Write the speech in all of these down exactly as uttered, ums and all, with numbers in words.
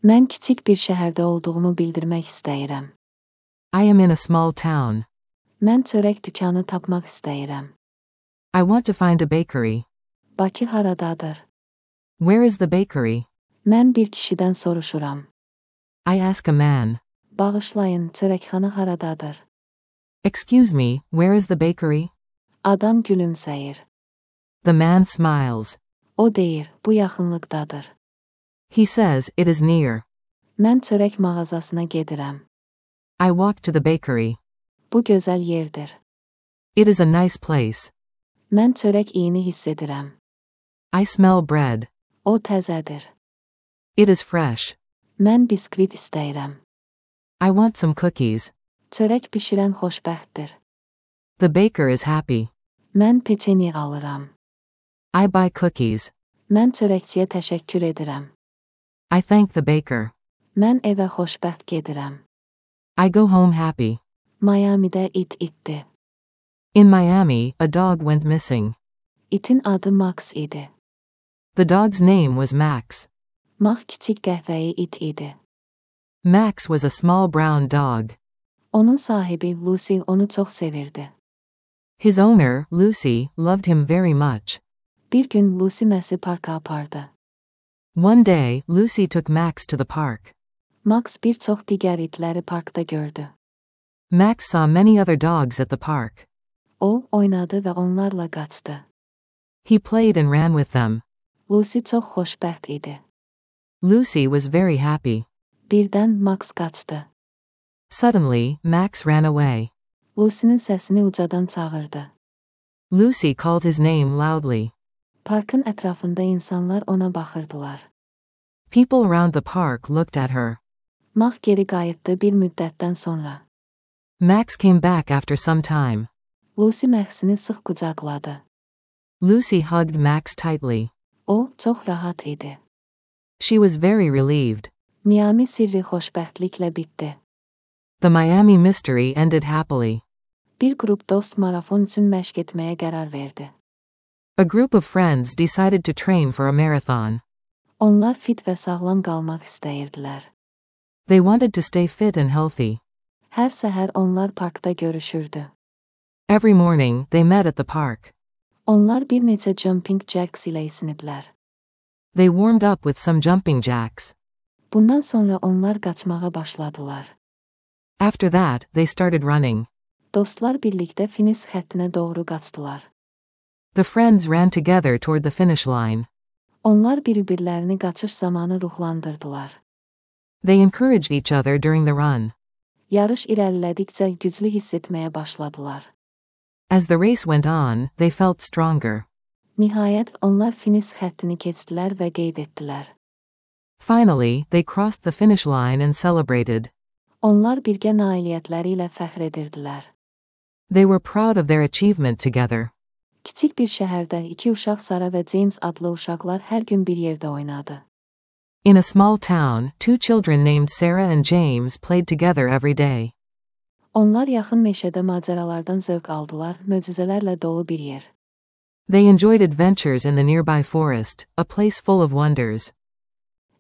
Mən kiçik bir şəhərdə olduğumu bildirmək istəyirəm. I am in a small town. Mən çörək dükanı tapmaq istəyirəm. I want to find a bakery. Bakı haradadır? Where is the bakery? Mən bir kişidən soruşuram. I ask a man. Bağışlayın, çörəkxana haradadır? Excuse me, where is the bakery? Adam gülümsəyir. The man smiles. O deyir, bu yaxınlıqdadır. He says, it is near. Mən çörək mağazasına gedirəm. I walk to the bakery. Bu gözəl yerdir. It is a nice place. Mən çörək iyini hiss edirəm. I smell bread. O təzədir. It is fresh. Mən biskvit istəyirəm. I want some cookies. Çörək bişirən xoşbəxtdir. The baker is happy. Mən peçeni alıram. I buy cookies. Mən çörəkçiyə təşəkkür edirəm. I thank the baker. Mən evə xoşbəxt gedirəm. I go home happy. Miami'də it itdi. In Miami, a dog went missing. İtin adı Max idi. The dog's name was Max. Max kiçik qəhvəyi it idi. Max was a small brown dog. Onun sahibi Lucy onu çox sevirdi. His owner, Lucy, loved him very much. Bir gün Lucy Max'i parka apardı. One day, Lucy took Max to the park. Max bir çox digər itləri parkda gördü. Max saw many other dogs at the park. O, oynadı və onlarla qaçdı. He played and ran with them. Lucy çox xoşbəxt idi. Lucy was very happy. Birdən Max qaçdı. Suddenly, Max ran away. Lucy'nin səsini ucadan çağırdı. Lucy called his name loudly. Parkın ətrafında insanlar ona baxırdılar. People around the park looked at her. Max geri qayıtdı bir müddətdən sonra. Max came back after some time. Lucy Max'ini sıx qucaqladı. Lucy hugged Max tightly. O, çox rahat idi. She was very relieved. Miami sirri xoşbəxtliklə bitdi. The Miami mystery ended happily. Bir qrup dost marafon üçün məşq etməyə qərar verdi. A group of friends decided to train for a marathon. Onlar fit və sağlam qalmaq istəyirdilər. They wanted to stay fit and healthy. Hər səhər onlar parkda görüşürdü. Every morning, they met at the park. Onlar bir neçə jumping jacks ilə isiniblər. They warmed up with some jumping jacks. Bundan sonra onlar qaçmağa başladılar. After that, they started running. Dostlar birlikdə finish xəttinə doğru qaçdılar. The friends ran together toward the finish line. Onlar bir-birlərini qaçış zamanı ruhlandırdılar. They encouraged each other during the run. Yarış irəlilədikcə güclü hiss etməyə başladılar. As the race went on, they felt stronger. Nihayət onlar finish xəttini keçdilər və qeyd etdilər. Finally, they crossed the finish line and celebrated. Onlar birgə nailiyyətləri ilə fəxr edirdilər. They were proud of their achievement together. Kiçik bir şəhərdə iki uşaq Sara və James adlı uşaqlar hər gün bir yerdə oynadı. In a small town, two children named Sarah and James played together every day. Onlar yaxın meşədə macəralardan zövq aldılar, möcüzələrlə dolu bir yer. They enjoyed adventures in the nearby forest, a place full of wonders.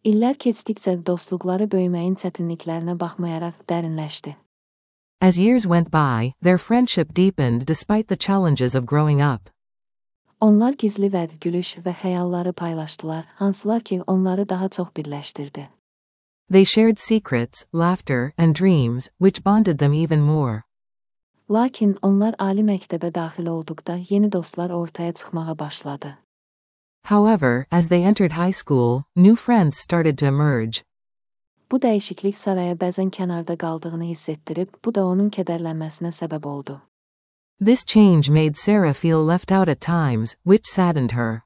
İllər keçdikcə dostluqları böyüməyin çətinliklərinə baxmayaraq dərinləşdi. As years went by, their friendship deepened despite the challenges of growing up. Onlar gizli vəd, gülüş və xəyalları paylaşdılar, hansılar ki onları daha çox birləşdirdi. They shared secrets, laughter, and dreams, which bonded them even more. Lakin onlar ali məktəbə daxil olduqda yeni dostlar ortaya çıxmağa başladı. However, as they entered high school, new friends started to emerge. Bu dəyişiklik Saraya bəzən kənarda qaldığını hiss etdirib, bu da onun kədərlənməsinə səbəb oldu. This change made Sarah feel left out at times, which saddened her.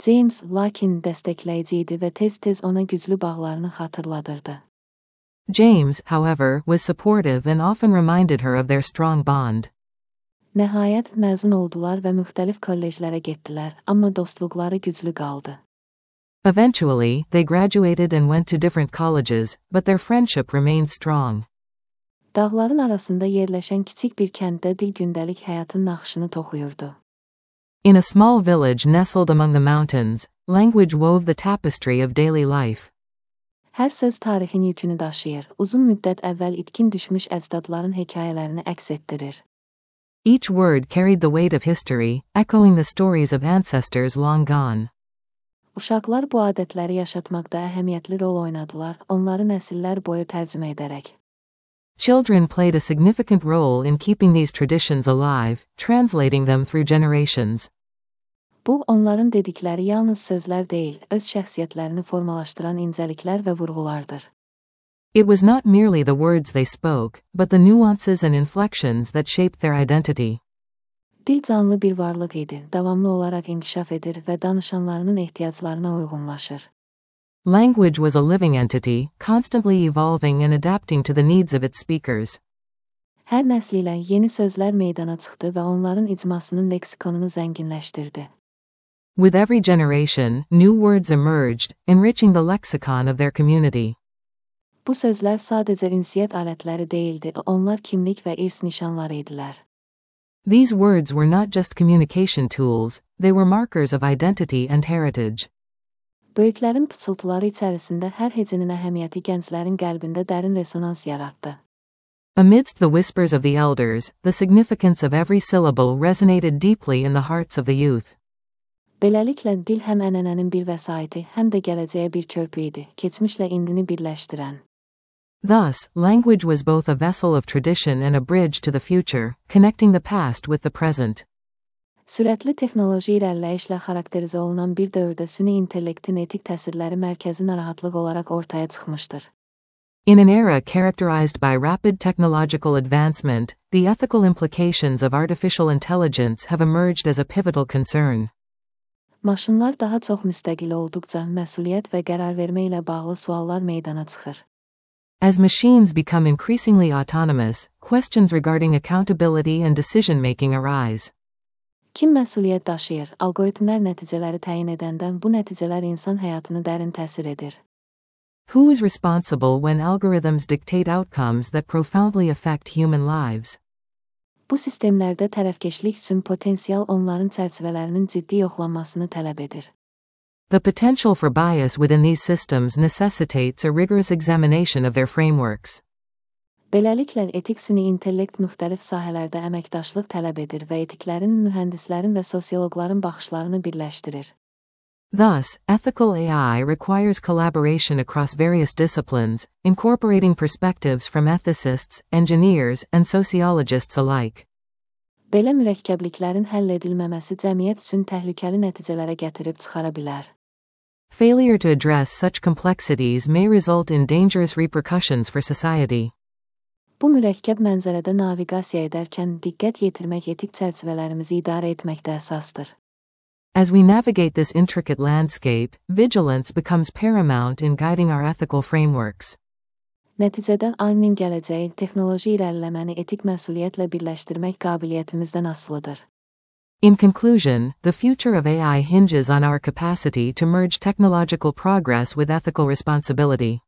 James, lakin dəstəkləyici idi və tez-tez ona güclü bağlarını xatırladırdı. James, however, was supportive and often reminded her of their strong bond. Nəhayət məzun oldular və müxtəlif kolleclərə getdilər, amma dostluqları güclü qaldı. Eventually, they graduated and went to different colleges, but their friendship remained strong. Dağların arasında yerləşən kiçik bir kənddə dil gündəlik həyatın naxışını toxuyurdu. In a small village nestled among the mountains, language wove the tapestry of daily life. Hər söz tarixin yükünü daşıyır, uzun müddət əvvəl itkin düşmüş əcdadların hekayələrini əks etdirir. Each word carried the weight of history, echoing the stories of ancestors long gone. Uşaqlar bu adətləri yaşatmaqda əhəmiyyətli rol oynadılar, onları nəsillər boyu tərcümə edərək. Children played a significant role in keeping these traditions alive, translating them through generations. Bu, onların dedikləri yalnız sözlər deyil, öz şəxsiyyətlərini formalaşdıran incəliklər və vurğulardır. It was not merely the words they spoke, but the nuances and inflections that shaped their identity. Dil canlı bir varlıq idi, davamlı olaraq inkişaf edir və danışanlarının ehtiyaclarına uyğunlaşır. Language was a living entity, constantly evolving and adapting to the needs of its speakers. Hər nəsl ilə yeni sözlər meydana çıxdı və onların icmasının leksikonunu zənginləşdirdi. With every generation, new words emerged, enriching the lexicon of their community. Bu sözlər sadəcə ünsiyyət alətləri deyildi, onlar kimlik və irs nişanları idilər. These words were not just communication tools, they were markers of identity and heritage. Böyüklərin pıçıltıları içərisində hər hecənin əhəmiyyəti gənclərin qəlbində dərin resonans yaratdı. Amidst the whispers of the elders, the significance of every syllable resonated deeply in the hearts of the youth. Beləliklə, dil həm ənənənin bir vəsaiti, həm də gələcəyə bir körpü idi, keçmişlə indini birləşdirən. Thus, language was both a vessel of tradition and a bridge to the future, connecting the past with the present. Sürətli texnoloji irəliləyişlə xarakterizə olunan bir dövrdə süni intellektin etik təsirləri mərkəzi narahatlıq olaraq ortaya çıxmışdır. In an era characterized by rapid technological advancement, the ethical implications of artificial intelligence have emerged as a pivotal concern. Maşınlar daha çox müstəqil olduqca məsuliyyət və qərar vermə ilə bağlı suallar meydana çıxır. As machines become increasingly autonomous, questions regarding accountability and decision-making arise. Kim məsuliyyət daşıyır? Algoritmlər nəticələri təyin edəndən bu nəticələr insan həyatını dərin təsir edir. Who is responsible when algorithms dictate outcomes that profoundly affect human lives? Bu sistemlərdə tərəfkeşlik üçün potensial onların çərçivələrinin ciddi yoxlanmasını tələb edir. The potential for bias within these systems necessitates a rigorous examination of their frameworks. Beləliklə, etik süni intellekt müxtəlif sahələrdə əməkdaşlıq tələb edir və etiklərin, mühəndislərin və sosioloqların baxışlarını birləşdirir. Thus, ethical A I requires collaboration across various disciplines, incorporating perspectives from ethicists, engineers, and sociologists alike. Belə mürəkkəbliklərin həll edilməməsi cəmiyyət üçün təhlükəli nəticələrə gətirib çıxara bilər. Failure to address such complexities may result in dangerous repercussions for society. Bu mürəkkəb mənzərədə naviqasiya edərkən diqqət yetirmək etik çərçivələrimizi idarə etməkdə əsasdır. As we navigate this intricate landscape, vigilance becomes paramount in guiding our ethical frameworks. Nəticədə ayının gələcəyi texnoloji irəliləməni etik məsuliyyətlə birləşdirmək qabiliyyətimizdən asılıdır. In conclusion, the future of A I hinges on our capacity to merge technological progress with ethical responsibility.